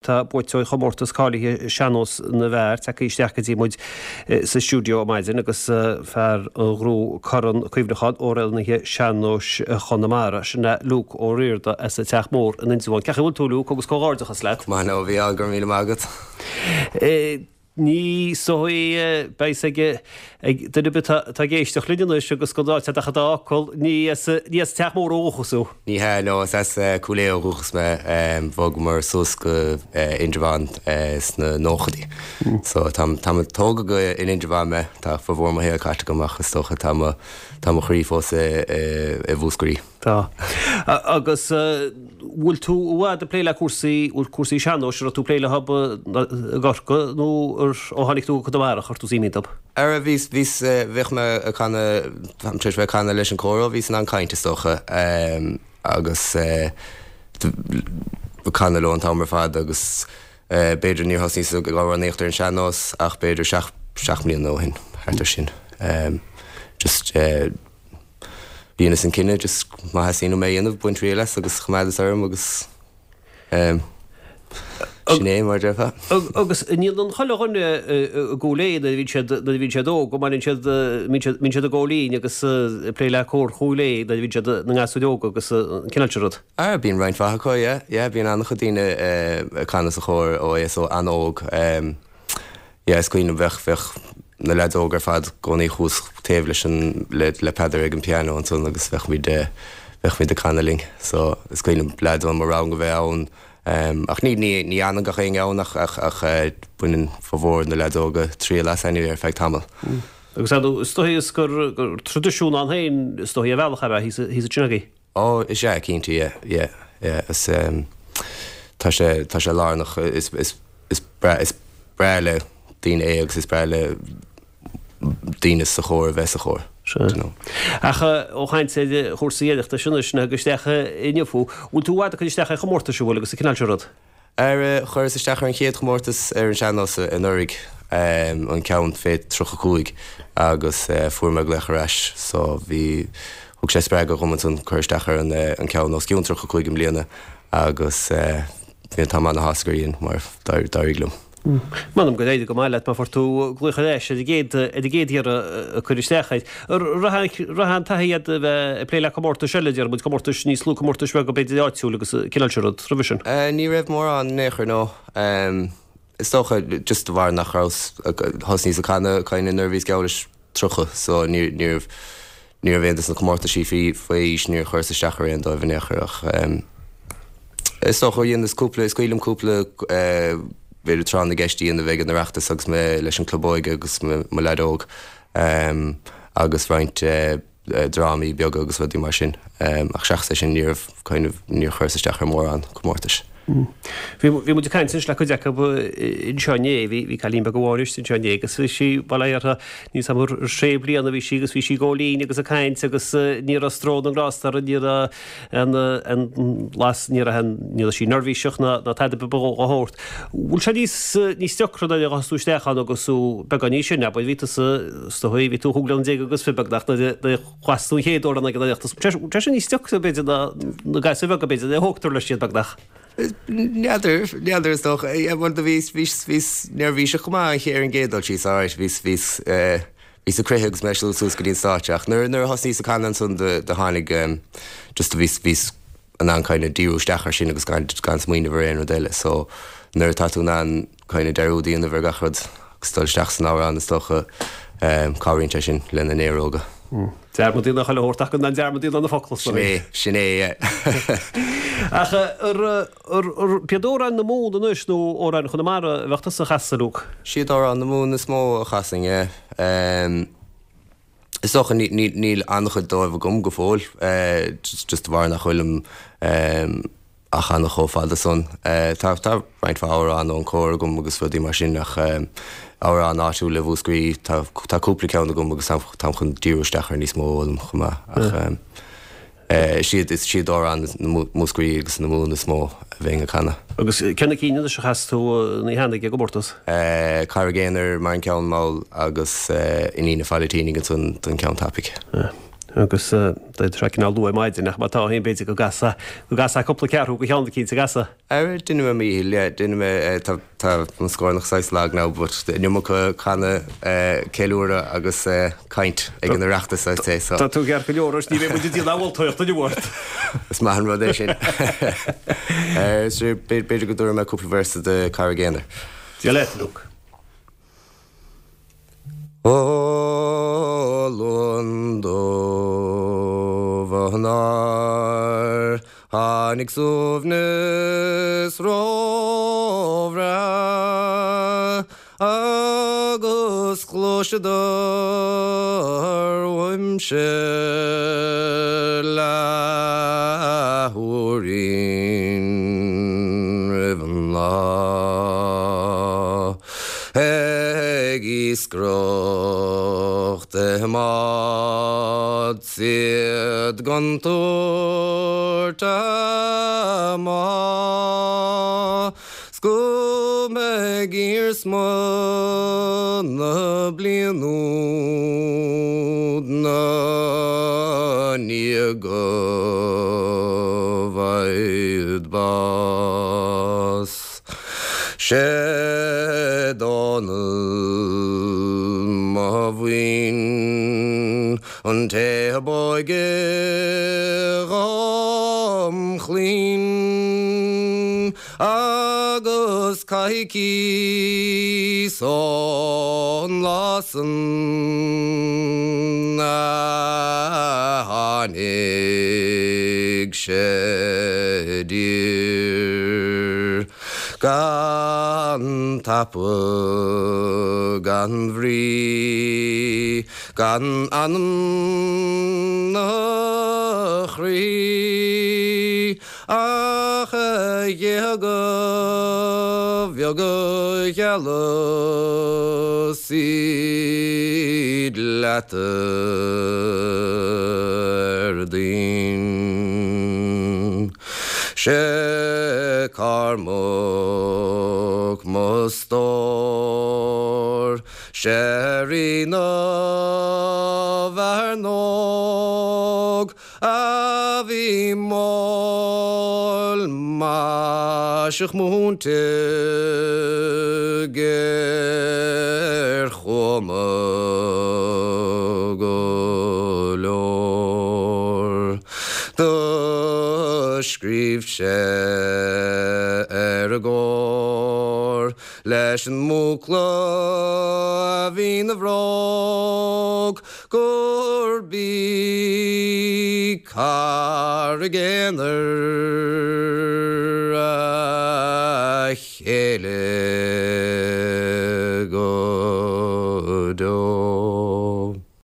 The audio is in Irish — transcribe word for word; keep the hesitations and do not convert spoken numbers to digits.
Tá buaiteoir chomórtas cáilithe sean-nós na bhfear tagtha isteach go dtí muid sa stiúideo ar maidin agus fear a ghnóthaigh Corn Cuimhneacháin Amhránaithe Sean-nóis Chonamara, sin é Luke Ó Riada as an Teach Mór in Indreabhán. Cén chaoi a bhfuil tú Luke agus comhghairdeachas leat. Maith nó bhí go raibh míle maith agat. Ní sóí beidh ag ag duine atá ag éisteacht linn anois agus go dáte a dá fhocal ní as ní as Teach Mór ó dhúchas thú. Ní hea no is as Cúil Aodha ó dhúchas mé bhogamar suas go Indreabhán sna nóchaidí. So tá tá tógadh go in Indreabhán mé tá formhór mo shaol caite agam ach is dócha tá mo tá mo chroí fós i i Mhúscraí. Tá. Agus bhfuil tú i bhfad ag plé le cúrsaí bhfuil cúrsaí sean-nóis raibh tú plé le hob i gCorcaigh nó ó tháinig tú go Conamara chuir tú suim iontu? Ara bhís bhís bhíodh mé ag canadh tar éis bheith ag canadh leis an chór ó bhíos in ann caint is dócha agus canadh leo an t-am ar fad agus b'fhéidir níor thosnaíos ag amhránaíocht ar an sean-nós ach b'fhéidir seacht seacht mbliana ó shin thart ar sin. Just dheineas an cinneadh just má theastaíonn uaim é a dhéanamh bain triail as agus choimeádas orm agus sin é mar a déarfá. Agus níl an chuile dhuine i gCúil Aodha nuair a bhíonn siad nuair a bhíonn siad óg go mbaineann siad mbíonn siad i gCóilín agus ag plé le cór Chúil Aodha nuair a bhíonn siad ina ngasúir óga agus an cineál sin rud. Ah bíonn roinnt mhaith acu yeah yeah bíonn an-chuid daoine ag canadh sa chór ó aos ó an-óg. Yeah is cuimhin liom bheadh bheadh na leaids óga ar fad i gcónaí thuas taobh leis an le le Peadar ag an piano ansan agus bheadh muid bheadh muid ag canadh linn. So is cuimhin liom leaids ó mo rang a bheith ann um, ach ní ní ní fhanann gach éinne ann ach ach ach baineann formhór na leaids óga triail as anyway ar feadh tamall. Mm. Agus is dóigh is gur gur traidisiún ann féin is dóigh a bhealach a bheith thíos ansin agaibh. Ó is ea cinnte yeah yeah yeah is um, tá sé tá sé lárnach is is is breá is breá le daoine é agus is breá le daoine sa chór a bheith sa chór. Ach ó chaint ar chúrsaí oidhreachta sin sin agus isteach inniu bhfuil tú i bhfad ag cur isteach ar chomórtais an bhfuil agus an cineál sin rud. Ar chuireas isteach ar an chéad chomórtas ar an sean-nós anuraidh an ceann fé tríocha cúig agus fuair mé glaoch ar ais so bhí thug sé spreagadh dhom ansan cur isteach ar an an ceann os cionn tríocha cúig i mbliana agus bhí an t-am ana-shásta gur dhein mar d'éirigh liom. M'anam go n-éirí go maith leat má fuair tú glaoch ar ais ar an gcéad ar an gcéad iarraidh a cur isteach air. Raibh an taithí agat a bheith ag plé le comórtais eile déarfaidh muid comórtais níos lú comórtais bheaga b'fhéidir áitiúil agus cineál sin rud roimhe sin. Ní raibh mórán in aon chor no. Is dócha just de bharr nach raibh thosnaíos ag canadh kind of nuair a bhíos geall leis tríocha so ní ní raibh ní raibh aon dos na comórtaisí faoi faoi aois níor chuireas isteach ar aon dóibh in aon chor ach is dócha dheineas cúpla is cuimhin liom cúpla b'fhéidir tráth na gceist a dhéanamh ag an Oireachtas agus mé leis an club óige agus mo leaid óg agus roinnt drámaí beaga agus rudaí mar sin ach seachas é sin ní raibh kind of níor chuireas isteach ar mórán comórtais. Bhí bhí muid ag caint anois le cuid acu anseo inné, bhí bhí cailín beag amháin anseo inné agus bhí sí bail ó Dhia uirthi níos am sé bliana bhí sí agus bhí sí Góilín agus ag caint agus ní raibh stró na ngrást uirthi ní raibh an an las ní raibh an ní raibh sí neirbhíseach ná ná tada ba dha shórt. Bhfuil sé níos níos deacra nuair a thosú isteach ann agus tú beagán níos sine, abair bhí tusa is dóigh bhí tú chúig bliana déag agus fiche beagnach nuair a chuas tú an chéad uair ann ag an Oireachtas. Bhfuil sé níos deacra b'fhéidir ná na gasúir bheaga b'fhéidir a thógtar leis iad beagnach. N'fheadar n'fheadar is dócha bhuel do bhíos bhíos bhíos neirbhíseach go maith an ar an gcéad dul síos alright bhíos bhíos bhíos ag croitheadh agus mé ag siúl suas go dtí an stáitse ach nuair nuair a thosnaíos ag canadh ansan do do tháinig just do bhíos bhíos in ann kind of díriú isteach ar sin agus gan gan smaoineamh ar aon rud eile so nuair atá tú in ann kind of dearúd a dhéanamh ar gach rud agus dul isteach san amhrán is dócha cabhraíonn sé sin le na néaróga. Dearmad a dhéanamh chuile shórt ach gan dearmad a dhéanamh na focla Sin é sin é Ach b'iad amhráin na Mumhan anois nó amhráin Chonamara a bheadh tusa a chasadh Luke? Siad amhráin na Mumhan is mó a chasainn é. Is dócha níl an-chuid dóibh agam go fóill just de bharr nach bhfuilim ach ana chomh fada san. Tá tá roinnt mhaith amhrán ón cór agam agus rudaí mar sin ach amhráin áitiúla Mhúscraí tá tá cúpla ceann agam agus táim chun díriú isteach ar níos mó a fhoghlaim chomh maith ach is iad is iad amhráin Mhúscraí agus na Mumhan is mó a bheinn ag canadh. Agus cé na cinn anois a chas tú an oíche cheana ag an gcomórtas? Carraig Aonair mar an ceann mall agus Iníon an Phaileatínigh ansan don ceann tapaidh. Agus d'fhéadfadh sé cineál luath maidin ach má tá féin b'fhéidir go gcasfá go gcasfá cúpla ceathrú go cheann eicínt a gcasadh. Déanfaidh mé mo dhícheall, yeah, déanfaidh mé tá tá mo scornach saghas lag now but an iomarca canadh, ceiliúradh agus caint ag an Oireachtas I'd say so. Tá tú ceart go leor, ní bheidh muid ag déanamh moltóireachta inniu ort. Is maith an rud é sin. Sure b'fhéidir go dtabharfaidh mé cúpla véarsa de Carraig Aonair. Dia leat, Luke. Ó Luan Dubh an áir Tháinig suaimhneas róbhreá Agus ghluaiseadar uaimse Leathuairín roimh an lá. Ag iascaireacht i mbád 's iad gan tabhairt a mbá 's go mbeidh iarsma na blian úd 'na ndiaidh go bhfaighid bás. Sé Dónall mo bhuíon an té ab óige dhom chlainn agus coicíos ón lá san a tháinig sé i dtír. Gan tapa gan bhrí gan anam ná croí ach a ghéaga bheaga gheala 's iad leata ar an dtoinn. Sé Cormac mo stór, sé rí na bhfear n-óg a bhí mall maiseach múinte géarchuma go leor. Do scríobh sé ar an gcór leis an mbúcla a bhí 'na bhróg gurb í Carraig Aonair a chéile go deo.